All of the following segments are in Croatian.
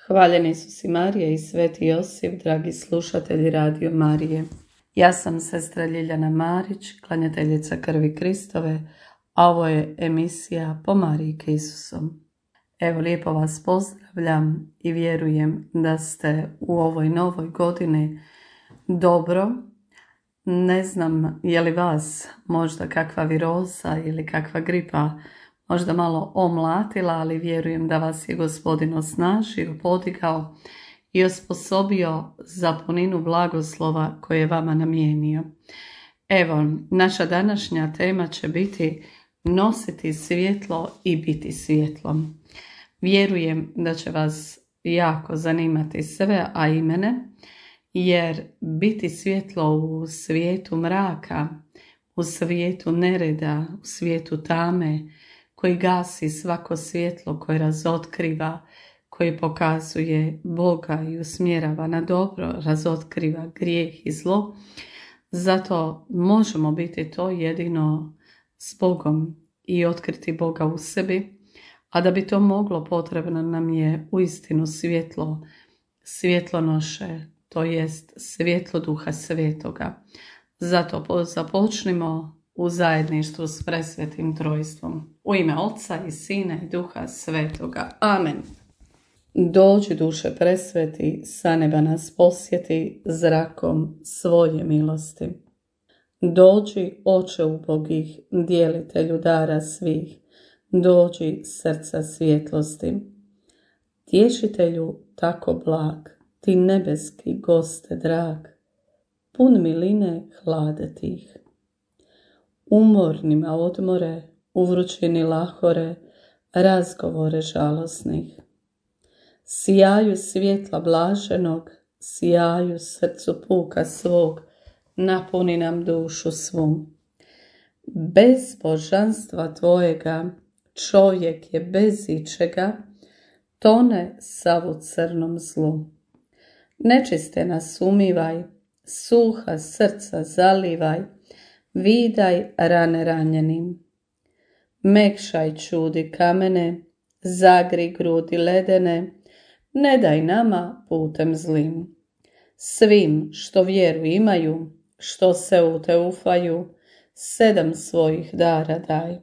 Hvaljeni Isus i Marija i Sveti Josip, dragi slušatelji Radio Marije. Ja sam sestra Ljiljana Marić, klanjateljica krvi Kristove, a ovo je emisija Po Marijke Isusom. Evo, lijepo vas pozdravljam i vjerujem da ste u ovoj novoj godini dobro. Ne znam je li vas možda kakva viroza ili kakva gripa možda malo omlatila, ali vjerujem da vas je Gospodin osnažio, podigao i osposobio za puninu blagoslova koje je vama namijenio. Evo, naša današnja tema će biti nositi svjetlo i biti svjetlom. Vjerujem da će vas jako zanimati sve, a i mene, jer biti svjetlo u svijetu mraka, u svijetu nereda, u svijetu tame, koji gasi svako svjetlo, koje razotkriva, koji pokazuje Boga i usmjerava na dobro, razotkriva grijeh i zlo. Zato možemo biti to jedino s Bogom i otkriti Boga u sebi, a da bi to moglo, potrebno nam je uistinu svjetlo, svjetlonoše, to jest svjetlo Duha Svetoga. Zato započnimo u zajedništvu s presvetim trojstvom. U ime Oca i Sina i Duha Svetoga. Amen. Dođi, duše presveti, sa neba nas posjeti zrakom svoje milosti. Dođi, Oče ubogih, djelitelju dara svih, dođi srca svjetlosti. Tješitelju tako blag, ti nebeski goste drag, pun miline hlade tih. Umornima odmore, u vrućini lahore, razgovore žalosnih. Sjaju svjetla blaženog, sjaju srcu puka svog, napuni nam dušu svu. Bez božanstva tvojega, čovjek je bez ičega, tone sav u crnom zlu. Nečiste nas umivaj, suha srca zalivaj, vidaj rane ranjenim. Mekšaj čudi kamene, zagri grudi ledene, ne daj nama putem zlim. Svim što vjeru imaju, što se u te ufaju, 7 svojih dara daj.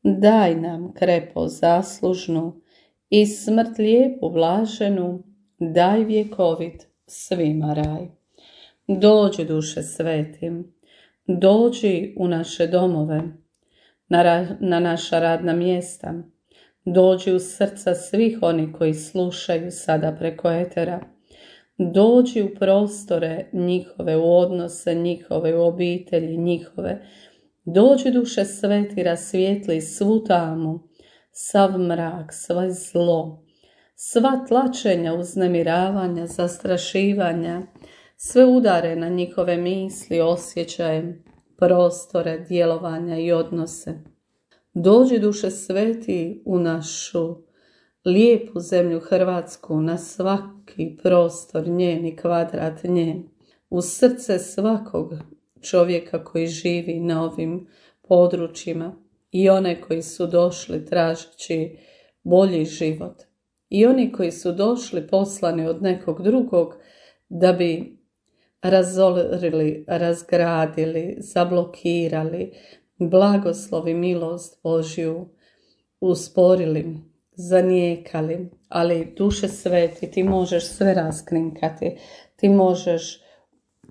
Daj nam krepo zaslužnu i smrt lijepu blaženu, daj vjekovit svima raj. Dođi, duše svetim, dođi u naše domove, na naša radna mjesta, dođi u srca svih onih koji slušaju sada preko etera, dođi u prostore njihove, u odnose njihove, u obitelji njihove, dođi, duše sveti, rasvijetli svu tamu, sav mrak, sve zlo, sva tlačenja, uznemiravanja, zastrašivanja, sve udare na njihove misli, osjećaje, prostore, djelovanja i odnose. Dođi, duše sveti, u našu lijepu zemlju Hrvatsku, na svaki prostor njen i kvadrat njen, u srce svakog čovjeka koji živi na ovim područjima i one koji su došli tražeći bolji život i oni koji su došli poslani od nekog drugog da bi razorili, razgradili, zablokirali blagoslov i milost Božju, usporili, zanijekali. Ali, duše sveti, ti možeš sve raskrinkati, ti možeš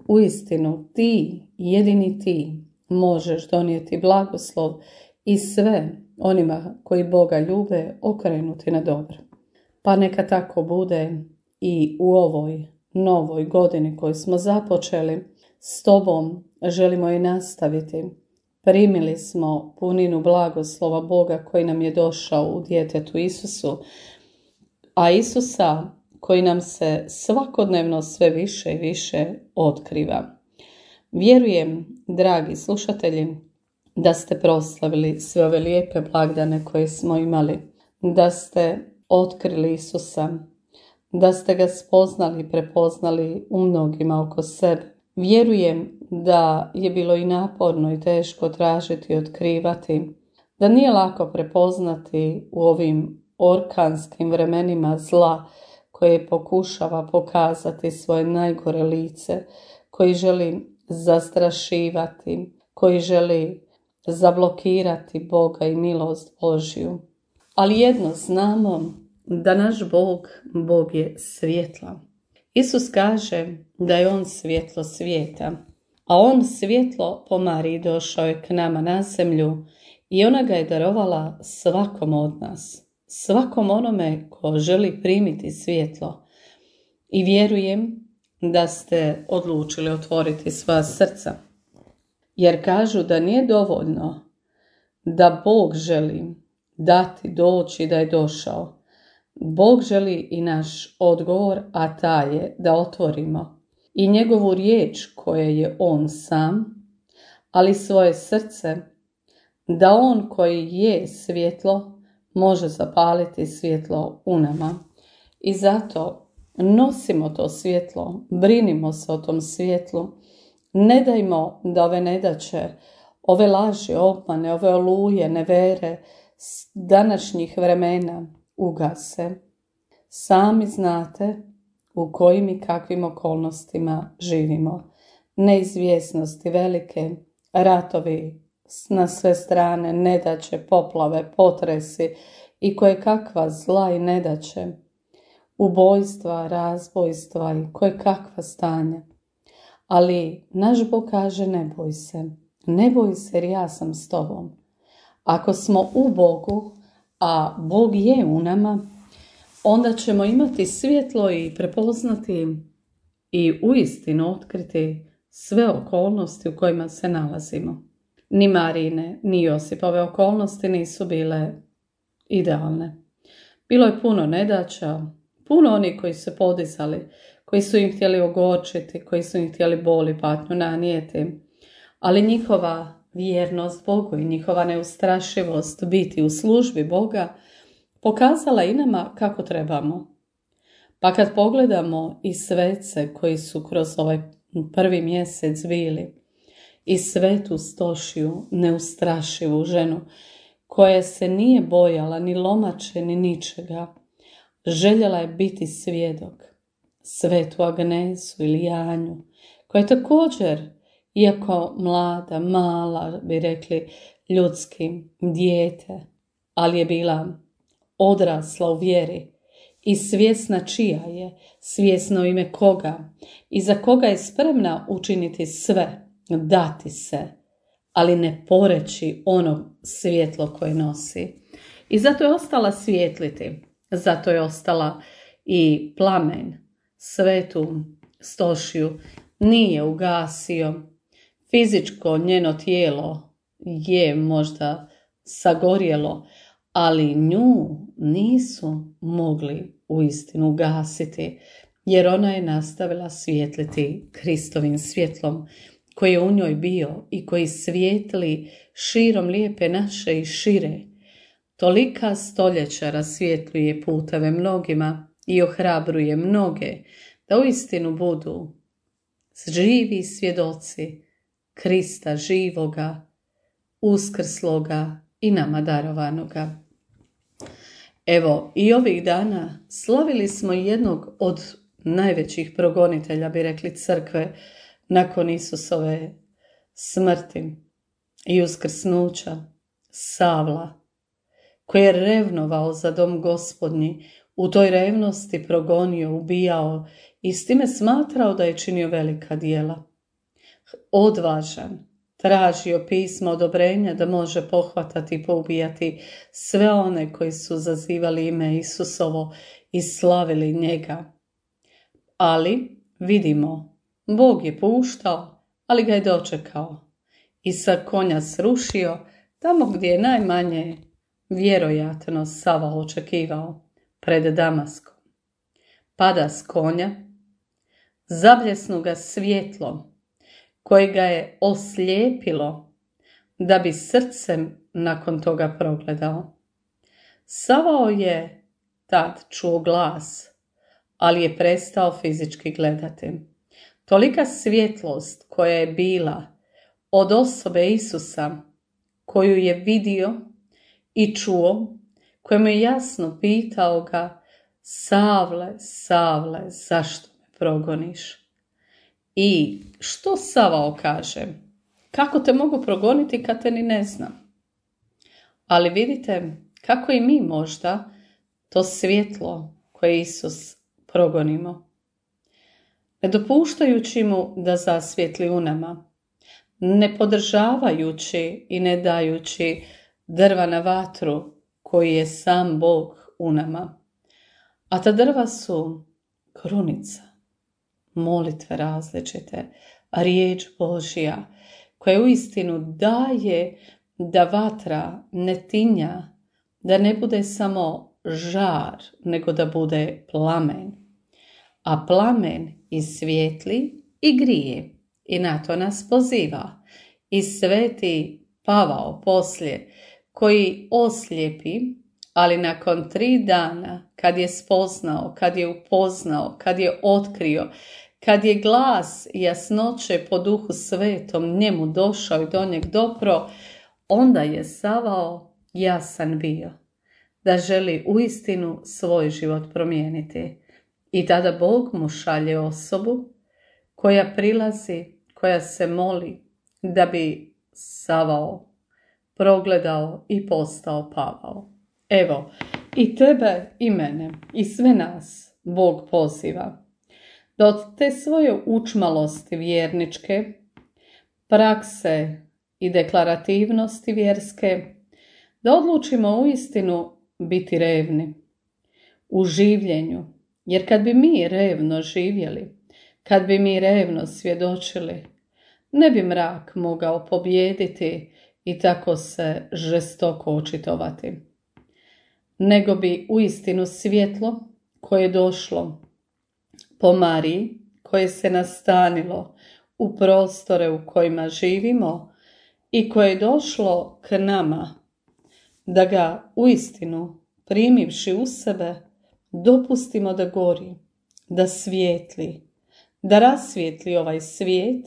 uistinu, ti, jedini ti, možeš donijeti blagoslov i sve onima koji Boga ljube okrenuti na dobro. Pa neka tako bude i u ovoj novoj godini koju smo započeli, s tobom želimo i nastaviti. Primili smo puninu blagoslova Boga koji nam je došao u djetetu Isusu, a Isusa koji nam se svakodnevno sve više i više otkriva. Vjerujem, dragi slušatelji, da ste proslavili sve ove lijepe blagdane koje smo imali, da ste otkrili Isusa, da ste ga spoznali i prepoznali u mnogima oko sebe. Vjerujem da je bilo i naporno i teško tražiti i otkrivati, da nije lako prepoznati u ovim orkanskim vremenima zla koje pokušava pokazati svoje najgore lice, koji želi zastrašivati, koji želi zablokirati Boga i milost Božju. Ali jedno znamo, da naš Bog je svjetla. Isus kaže da je on svjetlo svijeta, a on svjetlo po Mariji došao je k nama na zemlju i ona ga je darovala svakom od nas, svakom onome ko želi primiti svjetlo. I vjerujem da ste odlučili otvoriti svoja srca, jer kažu da nije dovoljno da Bog želi dati, doći, da je došao. Bog želi i naš odgovor, a taj je da otvorimo i njegovu riječ koje je on sam, ali svoje srce, da on koji je svjetlo može zapaliti svjetlo u nama. I zato nosimo to svjetlo, brinimo se o tom svjetlu, ne dajmo da ove nedaće, ove laži, obmane, ove oluje, nevere današnjih vremena ugase. Sami znate u kojim i kakvim okolnostima živimo. Neizvjesnosti velike, ratovi na sve strane, nedaće, poplave, potresi i koje kakva zla i nedaće, ubojstva, razbojstva i koje kakva stanja. Ali naš Bog kaže ne boj se jer ja sam s tobom. Ako smo u Bogu, a Bog je u nama, onda ćemo imati svjetlo i prepoznati i uistinu otkriti sve okolnosti u kojima se nalazimo. Ni Marijine, ni Josipove okolnosti nisu bile idealne. Bilo je puno nedaća, puno onih koji su podizali, koji su im htjeli ogorčiti, koji su im htjeli bol i patnju nanijeti, ali njihova vjernost Bogu i njihova neustrašivost biti u službi Boga pokazala i nama kako trebamo. Pa kad pogledamo i svece koji su kroz ovaj prvi mjesec bili, i svetu Stošiju, neustrašivu ženu, koja se nije bojala ni lomače ni ničega, željela je biti svjedok, svetu Agnesu ili Janju, koja je također, iako mlada, mala, bi rekli ljudski, dijete, ali je bila odrasla u vjeri i svjesna čija je, svjesna u ime koga i za koga je spremna učiniti sve, dati se, ali ne poreći ono svjetlo koje nosi. I zato je ostala svijetliti, zato je ostala i plamen svetu Stošiju nije ugasio. Fizičko njeno tijelo je možda sagorjelo, ali nju nisu mogli uistinu ugasiti, jer ona je nastavila svijetliti Kristovim svjetlom koji je u njoj bio i koji svijetli širom lijepe naše i šire. Tolika stoljeća rasvjetljuje puteve mnogima i ohrabruje mnoge da uistinu budu živi svjedoci Krista živoga, uskrsloga i nama darovanoga. Evo, i ovih dana slavili smo jednog od najvećih progonitelja, bi rekli, crkve nakon Isusove smrti i uskrsnuća, Savla, koji je revnovao za dom Gospodnji, u toj revnosti progonio, ubijao i s time smatrao da je činio velika djela. Odvažan, tražio pismo odobrenja da može pohvatati i poubijati sve one koji su zazivali ime Isusovo i slavili njega. Ali, vidimo, Bog je puštao, ali ga je dočekao i sa konja srušio tamo gdje je najmanje vjerojatno Sava očekivao, pred Damaskom. Pada s konja, zabljesnu ga svjetlom koje ga je oslijepilo da bi srcem nakon toga progledao. Savao je tad čuo glas, ali je prestao fizički gledati. Tolika svjetlost koja je bila od osobe Isusa, koju je vidio i čuo, kojemu je jasno pitao ga Savle, Savle, zašto me progoniš? I što Savao kaže? Kako te mogu progoniti kad te ni ne znam? Ali vidite kako i mi možda to svjetlo koje Isus progonimo. Ne dopuštajući mu da zasvijetli u nama, ne podržavajući i ne dajući drva na vatru koji je sam Bog u nama. A ta drva su krunica, molitve različite, riječ Božja koja uistinu daje da vatra ne tinja, da ne bude samo žar, nego da bude plamen. A plamen i svijetli i grije i na to nas poziva. I sveti Pavao poslije koji oslijepi, ali nakon 3 dana kad je spoznao, kad je upoznao, kad je otkrio, kad je glas jasnoće po Duhu Svetom njemu došao i do njeg dopro, onda je Savao jasan bio da želi uistinu svoj život promijeniti. I tada Bog mu šalje osobu koja prilazi, koja se moli da bi Savao progledao i postao Pavao. Evo, i tebe i mene i sve nas Bog poziva da od te svoje učmalosti vjerničke, prakse i deklarativnosti vjerske, da odlučimo uistinu biti revni u življenju. Jer kad bi mi revno živjeli, kad bi mi revno svjedočili, ne bi mrak mogao pobijediti i tako se žestoko očitovati. Nego bi uistinu svjetlo koje je došlo po Mariji, koje se nastanilo u prostore u kojima živimo i koje je došlo k nama, da ga uistinu primivši u sebe, dopustimo da gori, da svijetli, da rasvijetli ovaj svijet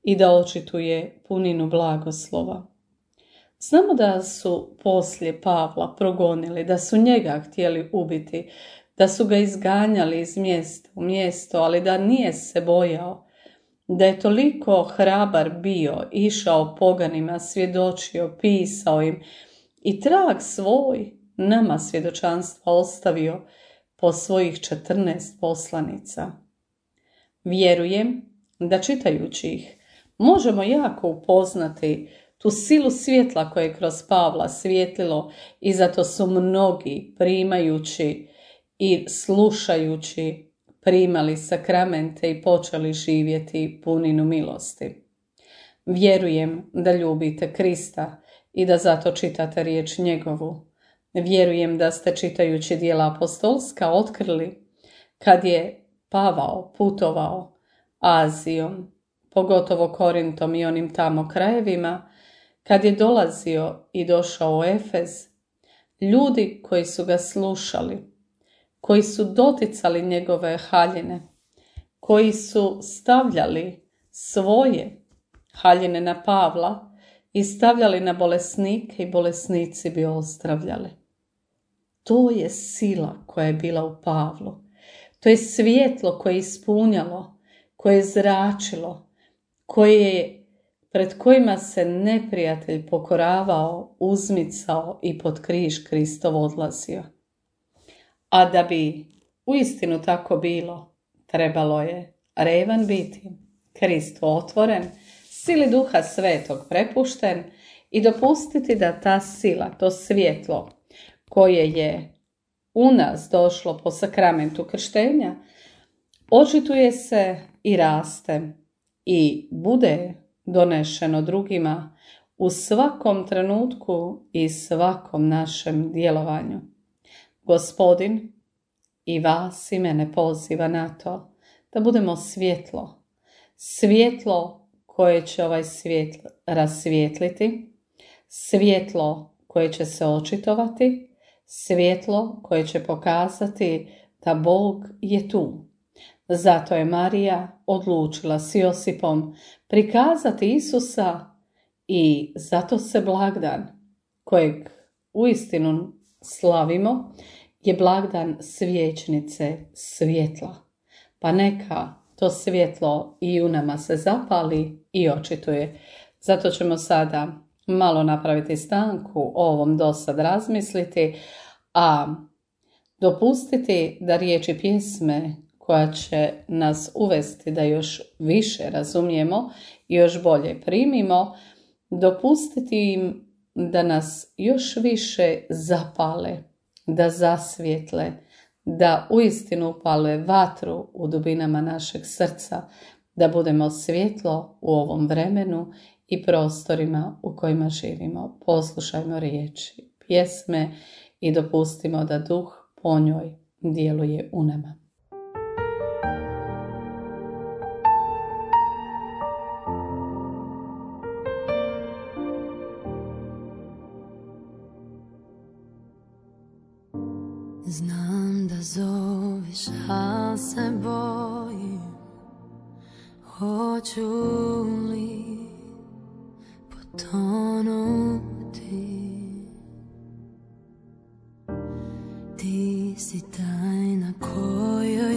i da očituje puninu blagoslova. Znamo da su poslije Pavla progonili, da su njega htjeli ubiti, da su ga izganjali iz mjesta u mjesto, ali da nije se bojao, da je toliko hrabar bio, išao poganima, svjedočio, pisao im i trag svoj nama svjedočanstva ostavio po svojih 14 poslanica. Vjerujem da čitajući ih možemo jako upoznati tu silu svjetla koje je kroz Pavla svjetlilo i zato su mnogi primajući i slušajući primali sakramente i počeli živjeti puninu milosti. Vjerujem da ljubite Krista i da zato čitate riječ njegovu. Vjerujem da ste čitajući djela apostolska otkrili kad je Pavao putovao Azijom, pogotovo Korintom i onim tamo krajevima, kad je dolazio i došao u Efez, ljudi koji su ga slušali, koji su doticali njegove haljine, koji su stavljali svoje haljine na Pavla i stavljali na bolesnike i bolesnici bi ozdravljali. To je sila koja je bila u Pavlu. To je svjetlo koje je ispunjalo, koje je zračilo, pred kojima se neprijatelj pokoravao, uzmicao i pod križ Kristov odlazio. A da bi uistinu tako bilo, trebalo je revan biti, Kristu otvoren, sili Duha Svetog prepušten i dopustiti da ta sila, to svjetlo koje je u nas došlo po sakramentu krštenja, očituje se i raste i bude donešeno drugima u svakom trenutku i svakom našem djelovanju. Gospodin i vas i mene poziva na to da budemo svjetlo, svjetlo koje će ovaj svijet rasvijetliti, svjetlo koje će se očitovati, svjetlo koje će pokazati da Bog je tu. Zato je Marija odlučila s Josipom prikazati Isusa i zato se blagdan kojeg uistinu slavimo je blagdan svječnice svjetla, pa neka to svjetlo i u nama se zapali i očituje. Zato ćemo sada malo napraviti stanku, o ovom dosad razmisliti, a dopustiti da riječi pjesme koja će nas uvesti da još više razumijemo i još bolje primimo, dopustiti im da nas još više zapale, da zasvijetle, da uistinu upale vatru u dubinama našeg srca, da budemo svjetlo u ovom vremenu i prostorima u kojima živimo. Poslušajmo riječi pjesme i dopustimo da duh po njoj djeluje u nama. Znam da zoveš, al se bojim, hoću li potonuti. Ti si tajna kojoj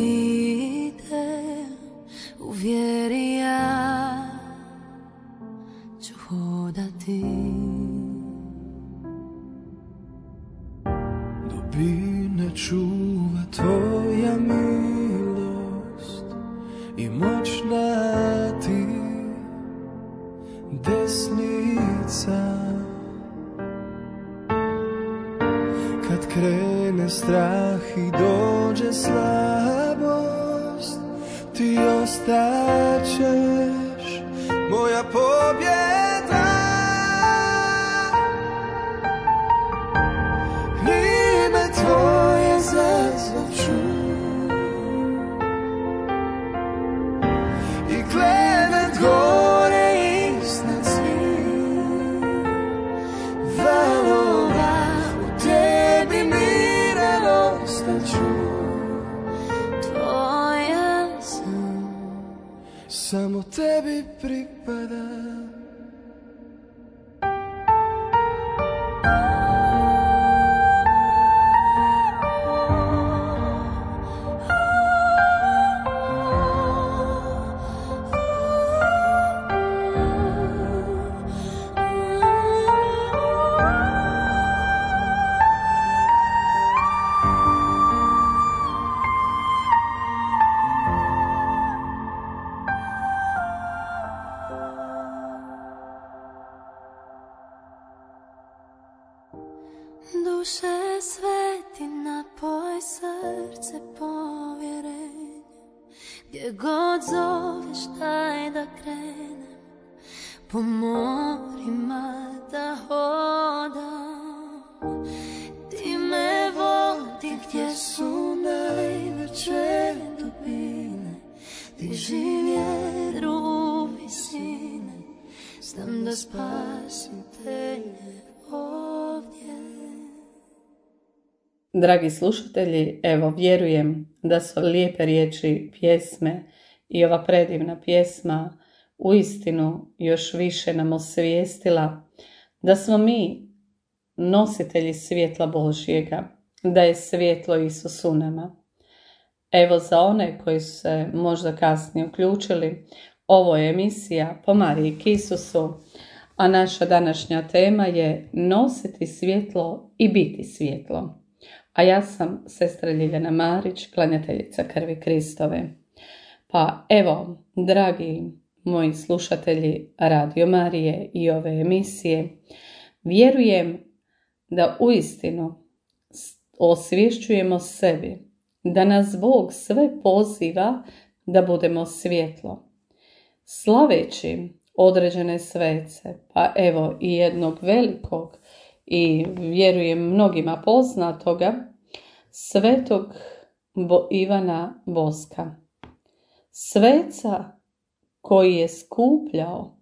idem, u vjeri ja ću hodati. Dubine čuva tvoja milost i moćna ti desnica. Kad krene strah i dođe slabost, ti ostaćeš moja pobjeda. Ime tvoje zazvaću i klevet gore iznad svih valova. U tebi miran ostaću, Tvoja sam, samo tebi pripadam. duše sveti, napoj srce povjerenje. Gdje god zoveš daj da krenem, po morima da hodam. Ti me vodi gdje su najveće dubine, diži vjeru u visine, znam da spasitelj ovdje. Dragi slušatelji, evo vjerujem da su lijepe riječi pjesme i ova predivna pjesma uistinu još više nam osvijestila da smo mi nositelji svjetla Božjega, da je svjetlo Isus u nama. Evo za one koji su se možda kasnije uključili, ovo je emisija Po Mariji k Isusu, a naša današnja tema je nositi svjetlo i biti svjetlo. A ja sam sestra Ljiljana Marić, klanjateljica krvi Kristove. Pa evo, dragi moji slušatelji Radio Marije i ove emisije, vjerujem da uistinu osvješćujemo sebi, da nas Bog sve poziva da budemo svjetlo. Slaveći određene svece, pa evo i jednog velikog i vjerujem mnogima poznatoga, svetog Ivana Boska. Sveca koji je skupljao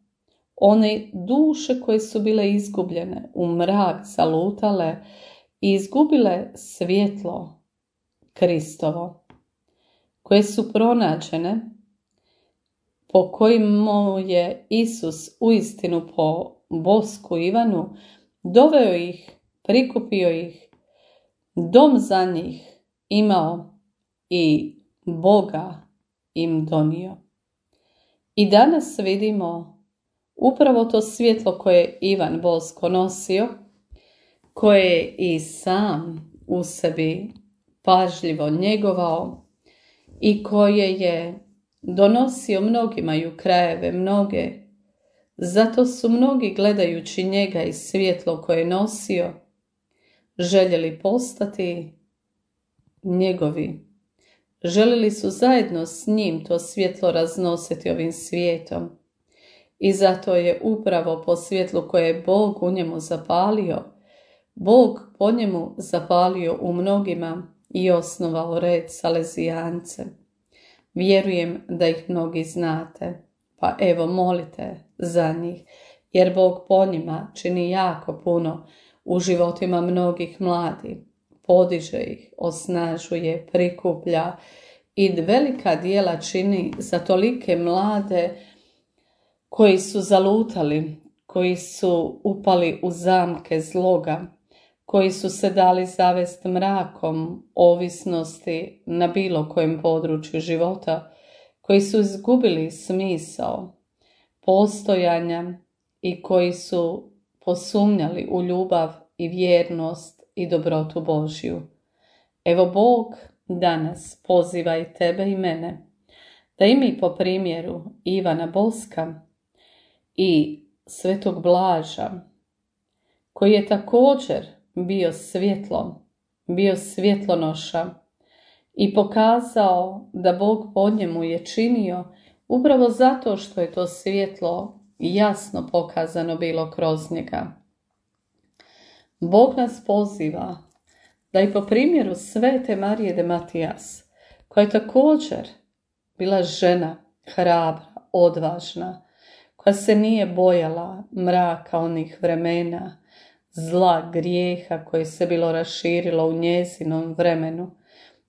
one duše koje su bile izgubljene, u mrak zalutale i izgubile svjetlo Kristovo, koje su pronađene, po kojima je Isus uistinu po Bosku Ivanu doveo ih, prikupio ih dom za njih imao i Boga im donio. I danas vidimo upravo to svjetlo koje je Ivan Bosko nosio, koje je i sam u sebi pažljivo njegovao i koje je donosio mnogima i u krajeve mnoge. Zato su mnogi gledajući njega i svjetlo koje je nosio željeli postati njegovi. Željeli su zajedno s njim to svjetlo raznositi ovim svijetom. I zato je upravo po svjetlu koje je Bog u njemu zapalio, Bog po njemu zapalio u mnogima i osnovao red Salezijance. Vjerujem da ih mnogi znate, pa evo molite za njih, jer Bog po njima čini jako puno u životima mnogih mladih. Podiže ih, osnažuje, prikuplja i velika djela čini za tolike mlade koji su zalutali, koji su upali u zamke zloga, koji su se dali zavest mrakom ovisnosti na bilo kojem području života, koji su izgubili smisao postojanja i koji su posumnjali u ljubav i vjernost i dobrotu Božju. Evo Bog danas poziva i tebe i mene da i mi po primjeru Ivana Boska i Svetog Blaža, koji je također bio svjetlo, bio svjetlonoša i pokazao da Bog po njemu je činio upravo zato što je to svjetlo jasno pokazano bilo kroz njega. Bog nas poziva da i po primjeru Svete Marije de Matijas, koja je također bila žena hrabra, odvažna, koja se nije bojala mraka onih vremena, zla, grijeha koje se bilo raširilo u njezinom vremenu,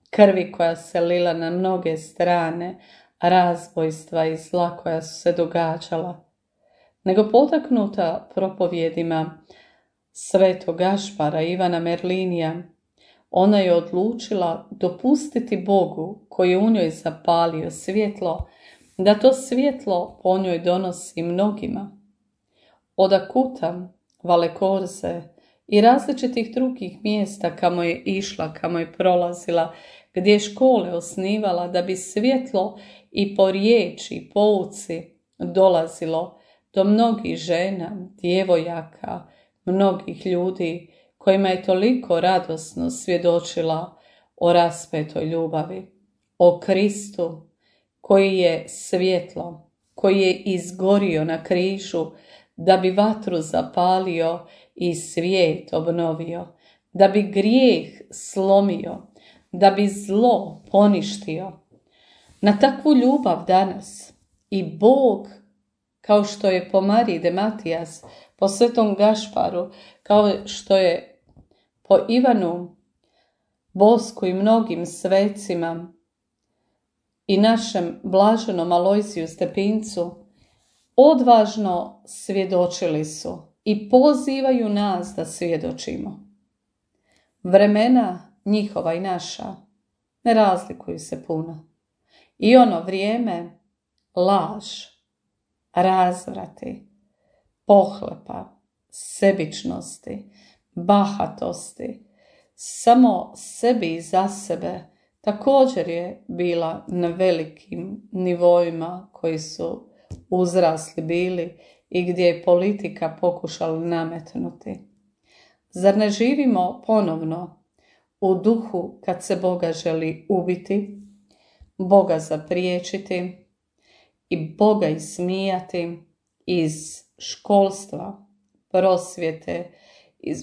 krvi koja se lila na mnoge strane, razbojstva i zla koja su se događala, nego potaknuta propovjedima Svetog Gašpara, Ivana Merlinija, ona je odlučila dopustiti Bogu koji je u njoj zapalio svjetlo, da to svjetlo po njoj donosi mnogima. Od Akuta, Valekorze i različitih drugih mjesta kamo je išla, kamo je prolazila, gdje je škole osnivala da bi svjetlo i po riječi i pouci dolazilo do mnogih žena, djevojaka, mnogih ljudi kojima je toliko radosno svjedočila o raspetoj ljubavi, o Kristu koji je svjetlo, koji je izgorio na križu da bi vatru zapalio i svijet obnovio, da bi grijeh slomio, da bi zlo poništio. Na takvu ljubav danas i Bog, kao što je po Mariji de Matijas, po Svetom Gašparu, kao što je po Ivanu Bosku i mnogim svecima i našem blaženom Alojziju Stepincu, odvažno svjedočili su i pozivaju nas da svjedočimo. Vremena njihova i naša ne razlikuju se puno. I ono vrijeme laž, razvrati, pohlepa, sebičnosti, bahatosti, samo sebi i za sebe također je bila na velikim nivoima koji su uzrasli bili i gdje je politika pokušala nametnuti. Zar ne živimo ponovno u duhu kad se Boga želi ubiti, Boga zapriječiti i Boga ismijati iz školstva, prosvjete, iz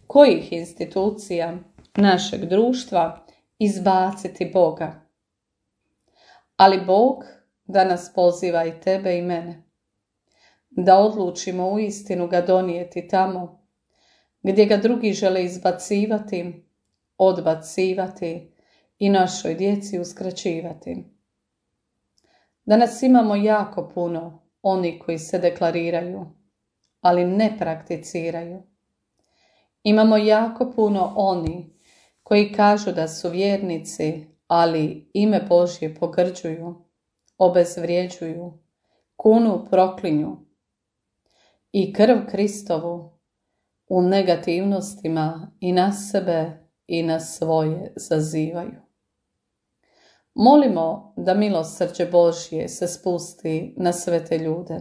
kojih institucija našeg društva izbaciti Boga? Ali Bog danas poziva i tebe i mene da odlučimo uistinu ga donijeti tamo gdje ga drugi žele izbacivati, odbacivati i našoj djeci uskraćivati. Danas imamo jako puno onih koji se deklariraju, ali ne prakticiraju. Imamo jako puno oni koji kažu da su vjernici, ali ime Božje pogrđuju, obezvrjeđuju, kunu proklinju i krv Kristovu u negativnostima i na sebe i na svoje zazivaju. Molimo da milosrđe Božje se spusti na sve te ljude,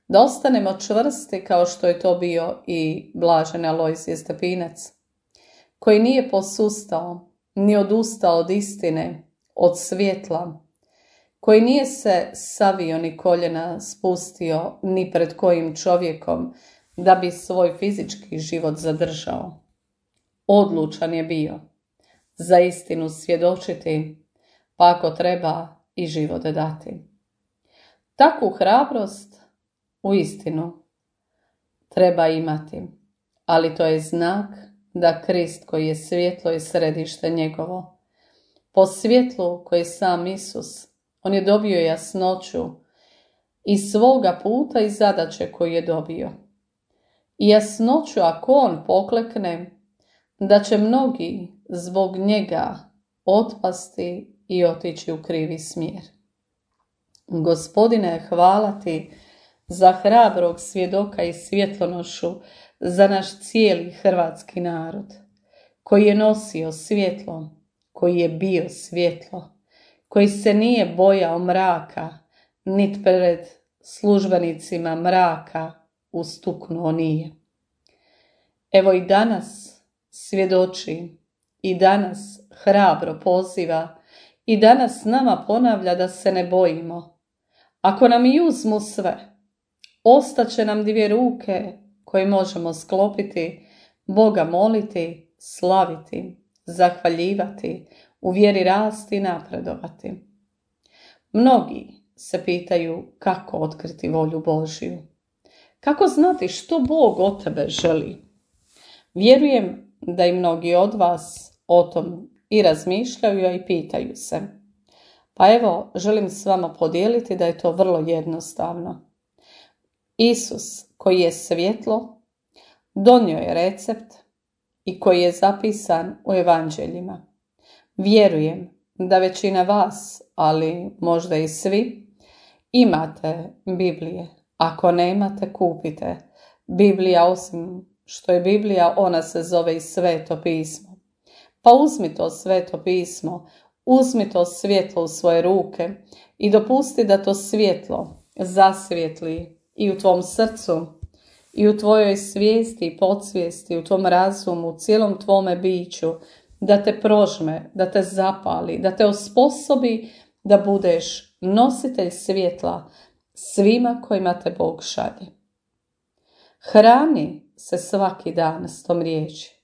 da ostanemo čvrsti kao što je to bio i blaženi Alojzije Stepinac, koji nije posustao ni odustao od istine, od svjetla, koji nije se savio ni koljena spustio ni pred kojim čovjekom da bi svoj fizički život zadržao. Odlučan je bio za istinu svjedočiti, pa ako treba i život dati. Takvu hrabrost u istinu treba imati, ali to je znak da Krist koji je svjetlo i središte njegovo, po svjetlu koji je sam Isus, on je dobio jasnoću i svoga puta i zadaće koju je dobio. I jasnoću ako on poklekne, da će mnogi zbog njega otpasti i otići u krivi smjer. Gospodine, hvala ti za hrabrog svjedoka i svjetlonošu za naš cijeli hrvatski narod, koji je nosio svjetlo, koji je bio svjetlo, koji se nije bojao mraka, nit pred službenicima mraka ustuknuo nije. Evo i danas svjedoči, i danas hrabro poziva, i danas nama ponavlja da se ne bojimo. Ako nam i uzmu sve, ostaće nam 2 ruke koje možemo sklopiti, Boga moliti, slaviti, zahvaljivati, u vjeri rasti i napredovati. Mnogi se pitaju kako otkriti volju Božju. Kako znati što Bog od tebe želi? Vjerujem da i mnogi od vas o tom i razmišljaju, a i pitaju se. Pa evo, želim s vama podijeliti da je to vrlo jednostavno. Isus, koji je svjetlo, donio je recept i koji je zapisan u evanđeljima. Vjerujem da većina vas, ali možda i svi, imate Biblije. Ako nemate, kupite. Biblija, osim što je Biblija, ona se zove i Sveto pismo. Pa uzmi to Sveto pismo, uzmi to svjetlo u svoje ruke i dopusti da to svjetlo zasvijetli i u tvom srcu, i u tvojoj svijesti i podsvijesti, u tvom razumu, u cijelom tvome biću, da te prožme, da te zapali, da te osposobi da budeš nositelj svjetla svima kojima te Bog šalje. Hrani se svaki dan s tom riječi.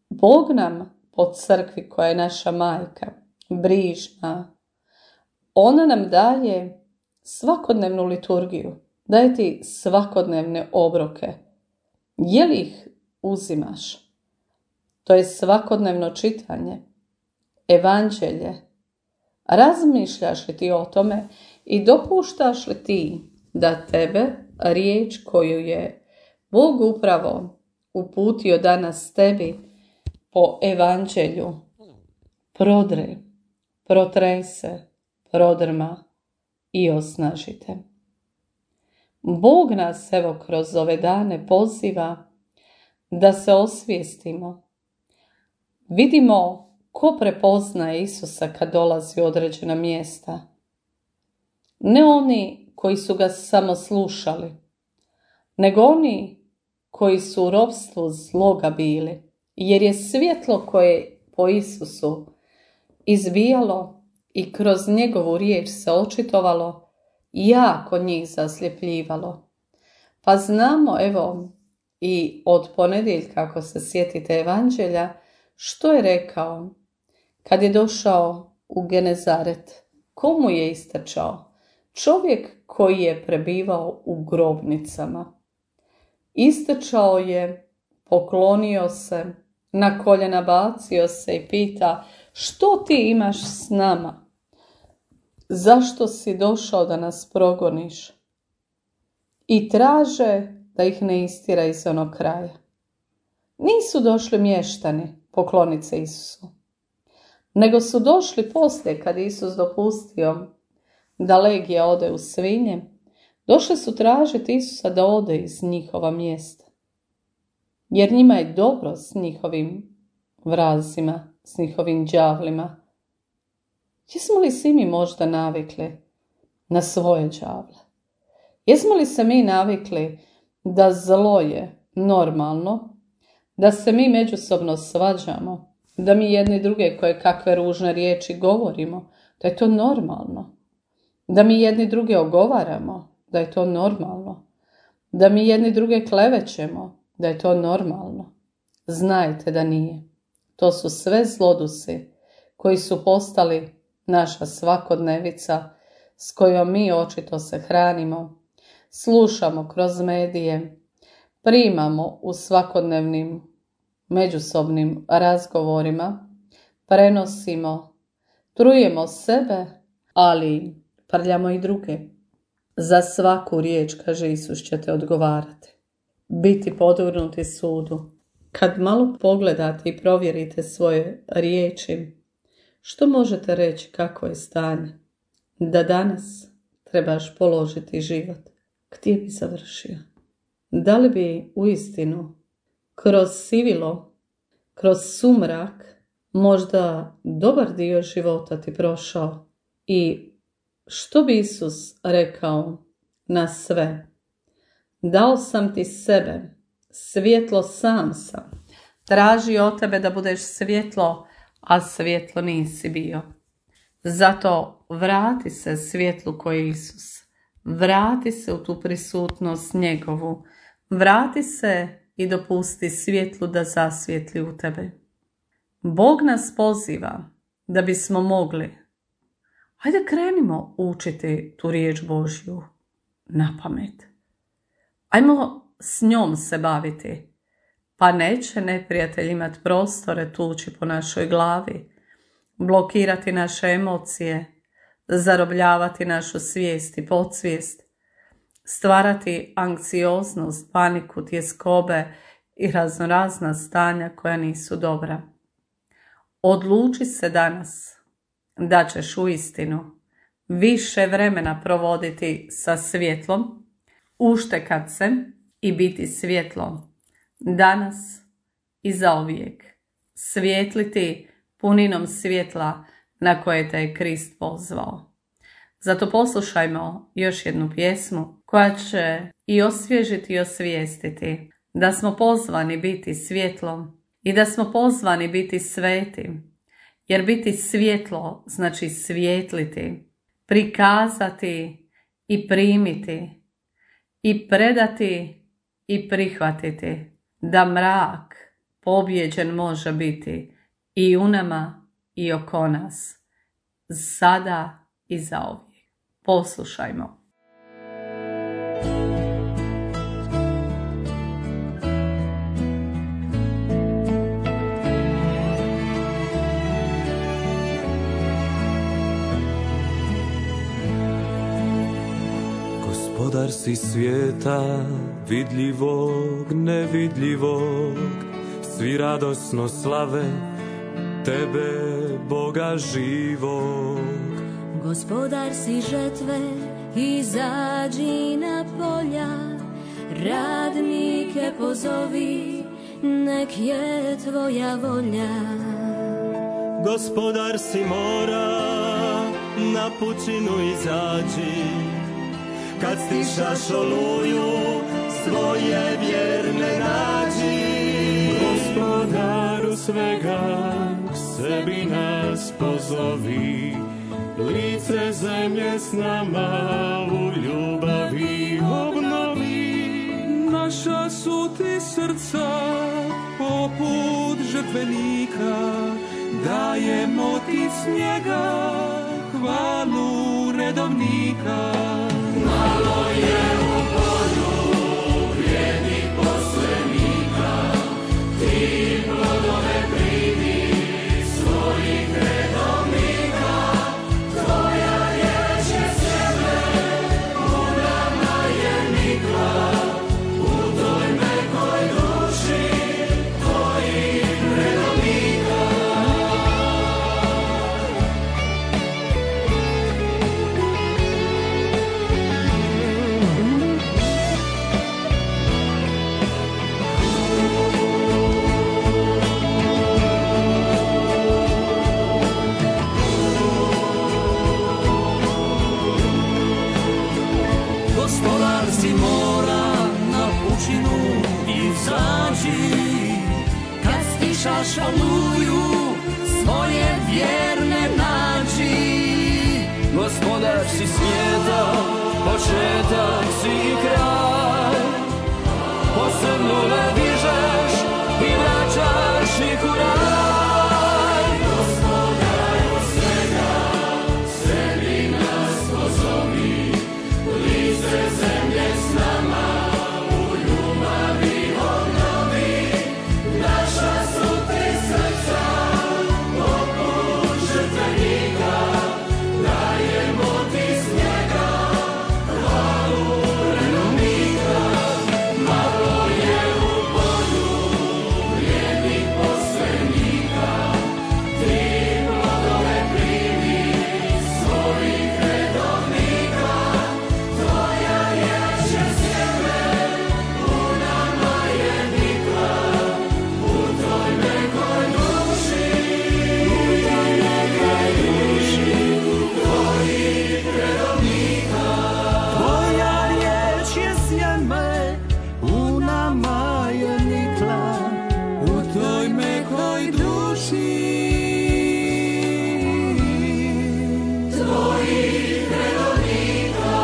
Bog nam po crkvi koja je naša majka, brižna, ona nam daje svakodnevnu liturgiju, daje ti svakodnevne obroke. Je li ih uzimaš? To je svakodnevno čitanje, evanđelje. Razmišljaš li ti o tome i dopuštaš li ti da tebe riječ koju je Bog upravo uputio danas tebi po evanđelju prodre, protrese, prodrma i osnažite. Bog nas evo kroz ove dane poziva da se osvijestimo. Vidimo ko prepoznaje Isusa kad dolazi u određena mjesta. Ne oni koji su ga samo slušali, nego oni koji su u ropstvu zloga bili, jer je svjetlo koje po Isusu izbijalo i kroz njegovu riječ se očitovalo, jako njih zasljepljivalo. Pa znamo, evo, i od ponedjeljka, ako se sjetite evanđelja, što je rekao kad je došao u Genezaret. Komu je istrčao? Čovjek koji je prebivao u grobnicama. Istrčao je, poklonio se, na koljena bacio se i pita: što ti imaš s nama? Zašto si došao da nas progoniš? I traže da ih ne istjera iz onog kraja. Nisu došli mještani pokloniti se Isusu, nego su došli poslije kad Isus dopustio da legija ode u svinje. Došli su tražiti Isusa da ode iz njihova mjesta. Jer njima je dobro s njihovim vrazima, s njihovim đavlima. Jesmo li si mi možda navikli na svoje đavle? Jesmo li se mi navikli da zlo je normalno, da se mi međusobno svađamo, da mi jedni druge koje kakve ružne riječi govorimo, da je to normalno, da mi jedni druge ogovaramo, da je to normalno, da mi jedni druge klevećemo, da je to normalno? Znajte da nije. To su sve zlodusi koji su postali naša svakodnevica s kojom mi očito se hranimo, slušamo kroz medije, primamo u svakodnevnim međusobnim razgovorima, prenosimo, trujemo sebe, ali prljamo i druge. Za svaku riječ, kaže Isus, ćete odgovarati. Biti podvrgnuti sudu. Kad malo pogledate i provjerite svoje riječi, što možete reći kako je stanje? Da danas trebaš položiti život. Gdje bi završio? Da li bi uistinu kroz sivilo, kroz sumrak, možda dobar dio života ti prošao? I što bi Isus rekao na sve? Dao sam ti sebe, svjetlo sam sam. Traži od tebe da budeš svjetlo, a svjetlo nisi bio. Zato vrati se svjetlu koji je Isus. Vrati se u tu prisutnost njegovu. Vrati se i dopusti svjetlu da zasvijetli u tebe. Bog nas poziva da bismo mogli. Hajde krenimo učiti tu riječ Božju na pamet. Ajmo s njom se baviti. Pa neće neprijatelj imati prostore tući po našoj glavi, blokirati naše emocije, zarobljavati našu svijest i podsvijest, stvarati anksioznost, paniku, tjeskobe i raznorazna stanja koja nisu dobra. Odluči se danas da ćeš uistinu više vremena provoditi sa svjetlom, uštekat se i biti svjetlo danas i zauvijek. Svijetliti puninom svjetla na koje te je Krist pozvao. Zato poslušajmo još jednu pjesmu koja će i osvježiti i osvijestiti da smo pozvani biti svjetlom i da smo pozvani biti svetim. Jer biti svjetlo znači svijetliti, prikazati i primiti i predati i prihvatiti da mrak pobjeđen može biti i u nama i oko nas, sada i zauvijek. Poslušajmo. Gospodar si svijeta, vidljivog, nevidljivog, svi radosno slave tebe, Boga živog. Gospodar si žetve, izađi na polja, radnike pozovi, nek je tvoja volja. Gospodar si mora, na pučinu izađi, kad stišaš oluju, svoje vjerne nađi. Gospodaru svega, k sebi nas pozovi, lice zemlje s nama u ljubavi obnovi. Naša su ti srca poput žrtvenika, dajemo ti s njega hvalu redovnika. Malo je u polju vrijednih poslenika, ti plodove primi svojih redovnika. Tvoja riječ je sebe, u nama je nikla, u toj mekoj duši baš oluju svoje vjerne nađi. Gospodar si svijeta, početak si i kraj, posrnule dižeš i vraćaš ih u raj. Gospodaru svega, sebi nas pozovi, lice zemlje s nama u ljubavi obnovi. Naša su ti srca, poput žrtvenika, dajemo ti s njega hvalu redovnika. Malo je u polju vrijednih poslenika, ti plodove primi svojih redovnika. Tvoja riječ je sjeme, u nama je nikla, u toj nekoj duši, tvojih redovnika. Tvoja riječ je sjeme, u nama je nikla, u toj mekoj duši. Tvojih redovnika.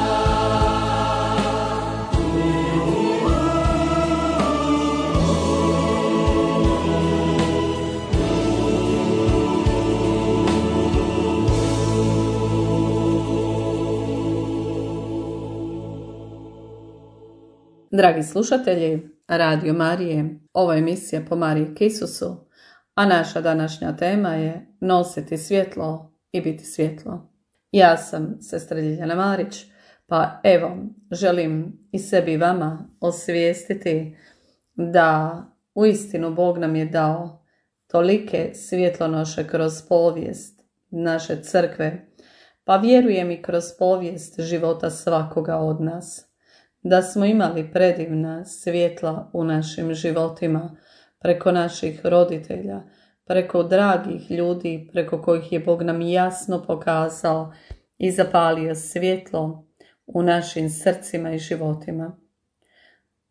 Dragi slušatelji Radio Marije, ovo je emisija Po Mariji k Isusu, a naša današnja tema je nositi svjetlo i biti svjetlo. Ja sam sestra Ljiljana Marić, pa evo, želim i sebi i vama osvijestiti da uistinu Bog nam je dao tolike svjetlonoše kroz povijest naše crkve, pa vjerujem i kroz povijest života svakoga od nas, da smo imali predivna svjetla u našim životima, preko naših roditelja, preko dragih ljudi, preko kojih je Bog nam jasno pokazao i zapalio svjetlo u našim srcima i životima.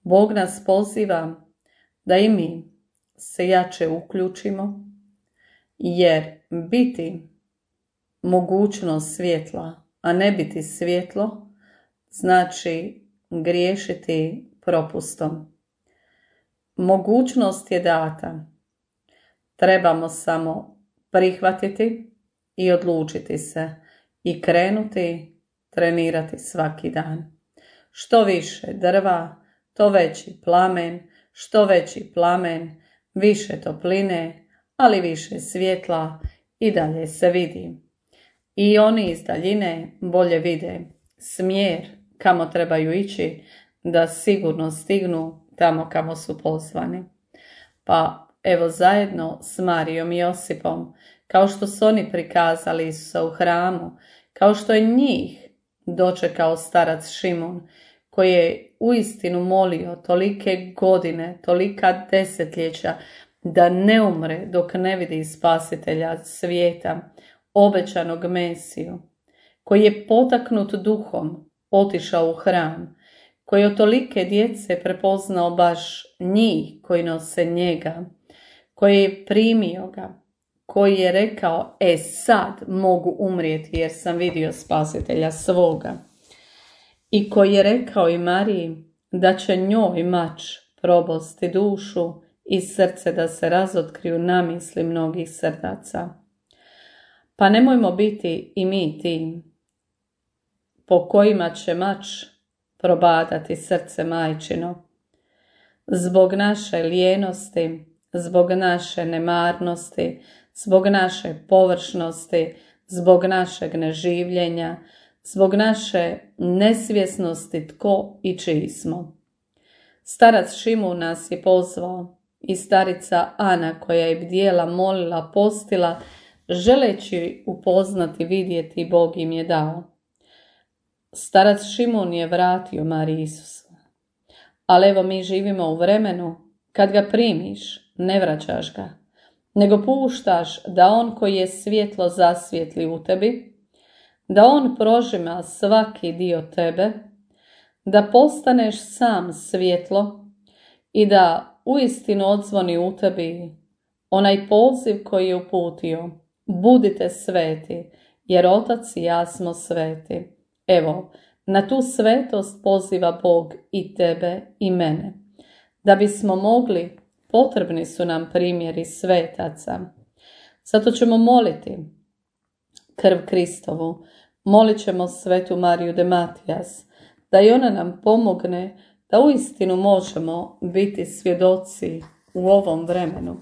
Bog nas poziva da i mi se jače uključimo, jer biti mogućnost svjetla, a ne biti svjetlo, znači griješiti propustom. Mogućnost je data. Trebamo samo prihvatiti i odlučiti se i krenuti trenirati svaki dan. Što više drva, to veći plamen, što veći plamen, više topline, ali više svjetla i dalje se vidi. I oni iz daljine bolje vide smjer kamo trebaju ići, da sigurno stignu tamo kamo su pozvani. Pa evo zajedno s Marijom i Josipom, kao što su oni prikazali Isusa u hramu, kao što je njih dočekao starac Šimun, koji je uistinu molio tolike godine, tolika desetljeća, da ne umre dok ne vidi spasitelja svijeta, obećanog Mesiju, koji je potaknut duhom otišao u hram, koji je od tolike djece prepoznao baš njih koji nose njega, koji je primio ga, koji je rekao, sad mogu umrijeti jer sam vidio spasitelja svoga. I koji je rekao i Mariji da će njoj mač probosti dušu i srce da se razotkriju namisli mnogih srdaca. Pa nemojmo biti i mi ti po kojima će mač probadati srce majčino. Zbog naše lijenosti, zbog naše nemarnosti, zbog naše površnosti, zbog našeg neživljenja, zbog naše nesvjesnosti tko i čiji smo. Starac Šimun nas je pozvao i starica Ana koja je bdjela, molila, postila, želeći upoznati, vidjeti, Bog im je dao. Starac Šimun je vratio Mariji Isusa. Ali evo mi živimo u vremenu kad ga primiš, ne vraćaš ga, nego puštaš da on koji je svjetlo zasvijetli u tebi, da on prožima svaki dio tebe, da postaneš sam svjetlo i da uistinu odzvoni u tebi onaj poziv koji je uputio: budite sveti, jer Otac i ja smo sveti. Evo, na tu svetost poziva Bog i tebe i mene. Da bismo mogli, potrebni su nam primjeri svetaca. Zato ćemo moliti krv Kristovu, molit ćemo svetu Mariju de Matijas, da i ona nam pomogne da uistinu možemo biti svjedoci u ovom vremenu.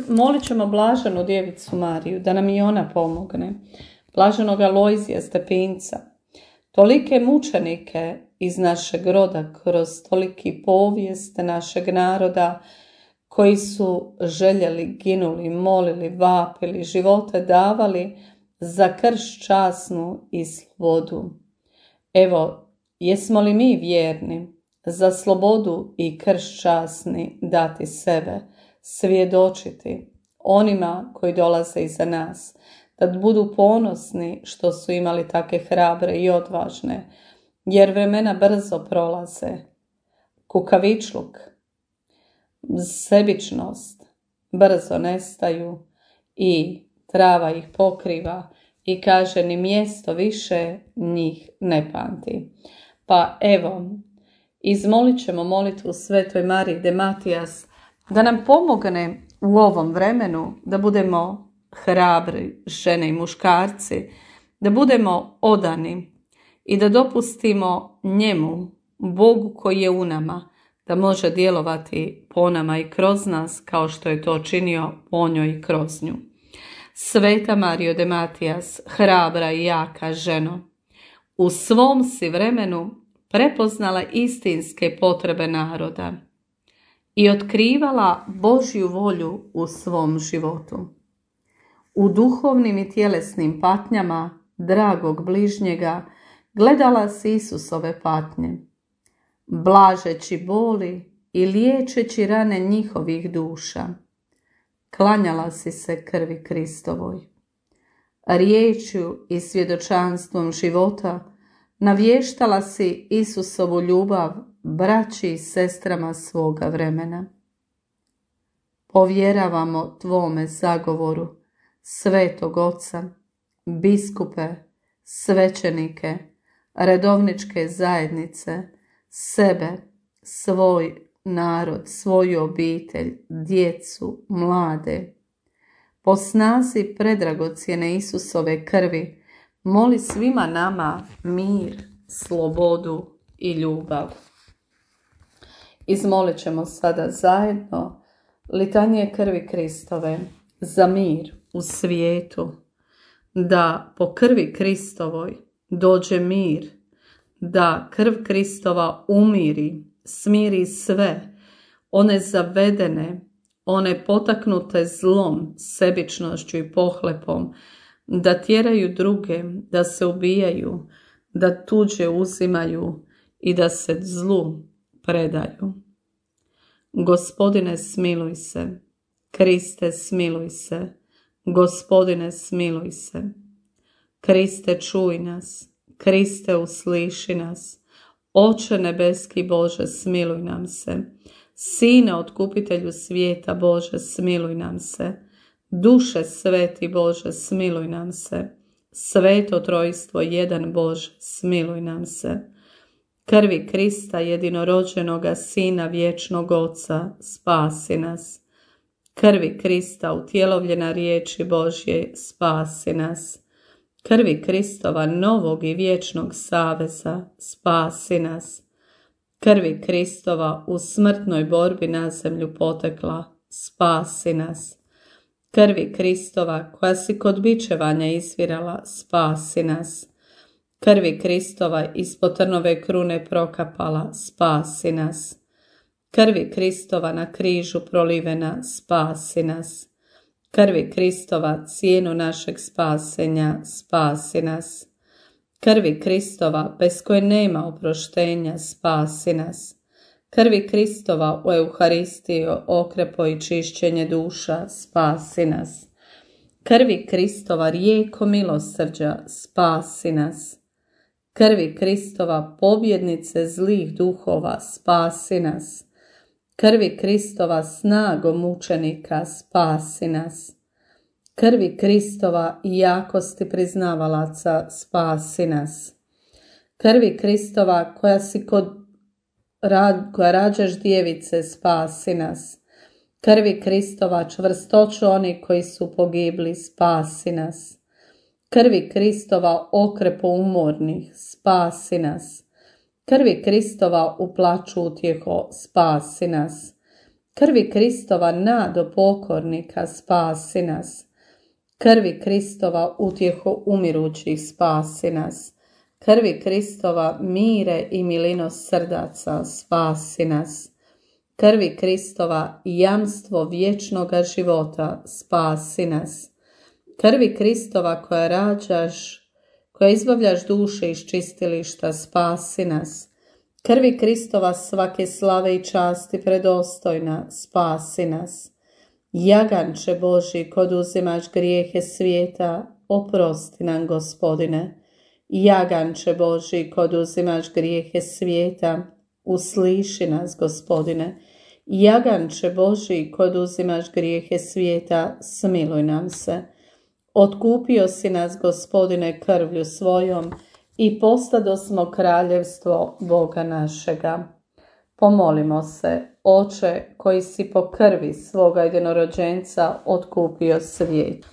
Molit ćemo blaženu djevicu Mariju da nam i ona pomogne, blaženog Alojzija Stepinca, tolike mučenike iz našeg roda kroz toliki povijest našeg naroda koji su željeli, ginuli, molili, vapili, živote davali za krst časnu i slobodu. Evo, jesmo li mi vjerni za slobodu i krst časni dati sebe, svjedočiti onima koji dolaze iza nas, da budu ponosni što su imali take hrabre i odvažne, jer vremena brzo prolaze. Kukavičluk, sebičnost brzo nestaju i trava ih pokriva i kaže ni mjesto više njih ne pamti. Pa evo, izmolit ćemo molitvu Svetoj Mariji de Matijas da nam pomogne u ovom vremenu da budemo hrabri žene i muškarci, da budemo odani i da dopustimo njemu, Bogu koji je u nama, da može djelovati po nama i kroz nas kao što je to činio po njoj i kroz nju. Sveta Marijo de Matijas, hrabra i jaka ženo, u svom si vremenu prepoznala istinske potrebe naroda i otkrivala Božju volju u svom životu. U duhovnim i tjelesnim patnjama dragog bližnjega gledala si Isusove patnje, blažeći boli i liječeći rane njihovih duša. Klanjala si se krvi Kristovoj. Riječju i svjedočanstvom života navještala si Isusovu ljubav braći i sestrama svoga vremena. Povjeravamo tvome zagovoru, Svetog Oca, biskupe, svećenike, redovničke zajednice, sebe, svoj narod, svoju obitelj, djecu, mlade. Po snazi predragocjene Isusove krvi moli svima nama mir, slobodu i ljubav. Izmolit ćemo sada zajedno litanije krvi Kristove za mir u svijetu, da po krvi Kristovoj dođe mir, da krv Kristova umiri, smiri sve, one zavedene, one potaknute zlom, sebičnošću i pohlepom, da tjeraju druge, da se ubijaju, da tuđe uzimaju i da se zlu predaju. Gospodine, smiluj se. Kriste, smiluj se. Gospodine, smiluj se. Kriste, čuj nas. Kriste, usliši nas. Oče nebeski Bože, smiluj nam se. Sine, otkupitelju svijeta Bože, smiluj nam se. Duše sveti Bože, smiluj nam se. Sveto trojstvo jedan Bože, smiluj nam se. Krvi Krista, jedinorođenoga Sina vječnog Oca, spasi nas. Krvi Krista, utjelovljena riječi Božje, spasi nas. Krvi Kristova, novog i vječnog saveza, spasi nas. Krvi Kristova, u smrtnoj borbi na zemlju potekla, spasi nas. Krvi Kristova, koja si kod bičevanja izvirala, spasi nas. Krvi Kristova, ispod trnove krune prokapala, spasi nas. Krvi Kristova, na križu prolivena, spasi nas. Krvi Kristova, cijenu našeg spasenja, spasi nas. Krvi Kristova, bez koje nema oproštenja, spasi nas. Krvi Kristova, u Euharistiji okrepo i čišćenje duša, spasi nas. Krvi Kristova, rijeko milosrđa, spasi nas. Krvi Kristova, pobjednice zlih duhova, spasi nas. Krvi Kristova snagom mučenika spasi nas. Krvi Kristova i jakosti priznavalaca spasi nas. Krvi Kristova koja rađaš djevice spasi nas. Krvi Kristova čvrstoću oni koji su pogibli spasi nas. Krvi Kristova okrepu umornih spasi nas. Krvi Kristova u plaću utjeho spasi nas. Krvi Kristova nado pokornika spasi nas. Krvi Kristova utjeho umirućih spasi nas. Krvi Kristova mire i milinost srdaca spasi nas. Krvi Kristova jamstvo vječnoga života spasi nas. Krvi Kristova koja izbavljaš duše iz čistilišta spasi nas. Krvi Kristova svake slave i časti predostojna spasi nas. Jaganče Božji, kod uzimaš grijehe svijeta, oprosti nam, Gospodine. Jaganče Božji, kod uzimaš grijehe svijeta, usliši nas, Gospodine. Jaganče Božji, kod uzimaš grijehe svijeta, smiluj nam se. Otkupio si nas, Gospodine, krvlju svojom i postadosmo kraljevstvo Boga našega. Pomolimo se, Oče, koji si po krvi svoga jedinorođenca otkupio svijet.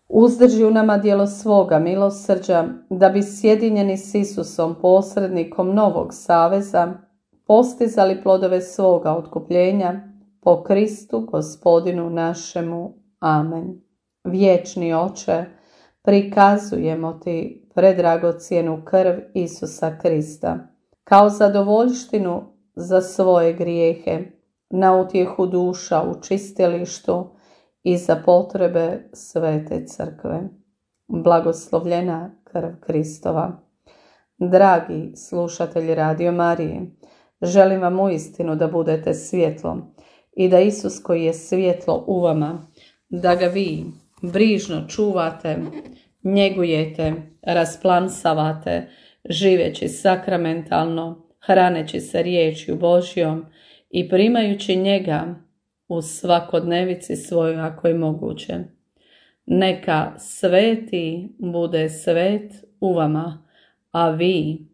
Uzdrži u nama djelo svoga milosrđa, da bi sjedinjeni s Isusom, posrednikom novog saveza, postizali plodove svoga otkupljenja po Kristu Gospodinu našemu. Amen. Vječni Oče, prikazujemo ti predragocjenu krv Isusa Krista kao zadovoljštinu za svoje grijehe, na utjehu duša u čistilištu i za potrebe Svete Crkve. Blagoslovljena krv Kristova. Dragi slušatelji Radio Marije, želim vam uistinu da budete svjetlo i da Isus koji je svjetlo u vama, da ga vi brižno čuvate, njegujete, rasplansavate, živeći sakramentalno, hraneći se riječju Božjom i primajući njega u svakodnevici svojoj ako je moguće. Neka sveti bude svet u vama, a vi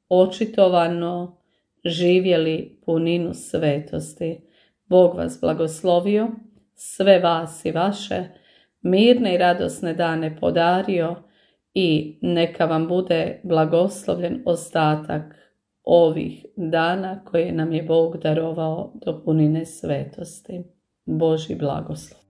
očitovano živjeli puninu svetosti. Bog vas blagoslovio, sve vas i vaše, mirne i radosne dane podario i neka vam bude blagoslovljen ostatak ovih dana koje nam je Bog darovao do punine svetosti. Božji blagoslov.